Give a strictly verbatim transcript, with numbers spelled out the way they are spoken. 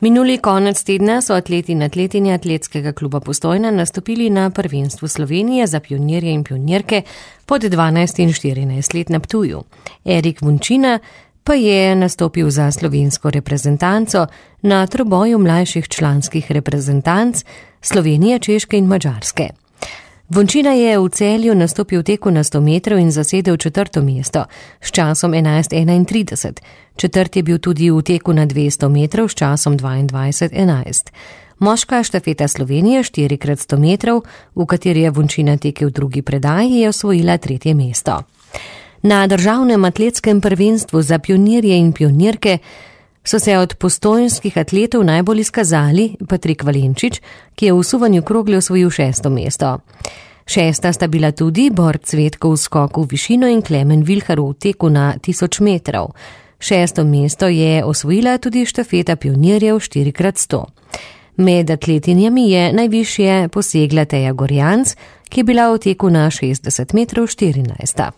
Minuli konec tedna so atleti in atletinje Atletskega kluba Postojna nastopili na prvenstvu Slovenije za pionirje in pionirke pod dvanajst in štirinajst let na Ptuju. Erik Vunčina pa je nastopil za slovensko reprezentanco na troboju mlajših članskih reprezentanc Slovenije, Češke in Madžarske. Vunčina je v Celju nastopil v teku na sto metrov in zasedel četrto mesto s časom enajst enaintrideset. Četrt je bil tudi v teku na dvesto metrov s časom dvaindvajset enajst. Moška štafeta Slovenije štiri krat sto metrov, v kateri je Vunčina tekel v drugi predaji, je osvojila tretje mesto. Na državnem atletskem prvenstvu za pionirje in pionirke so se od postojnskih atletov najbolj izkazali Patrik Valenčič, ki je v suvanju krogle osvojil šesto mesto. Šesta sta bila tudi Bor Cvetko v skoku v višino in Klemen Vilhar v teku na tisoč metrov. Šesto mesto je osvojila tudi štafeta pionirjev štiri krat sto. Med atletinjami je najvišje posegla Teja Gorjanc, ki je bila v teku na šestdeset metrov štirinajsta.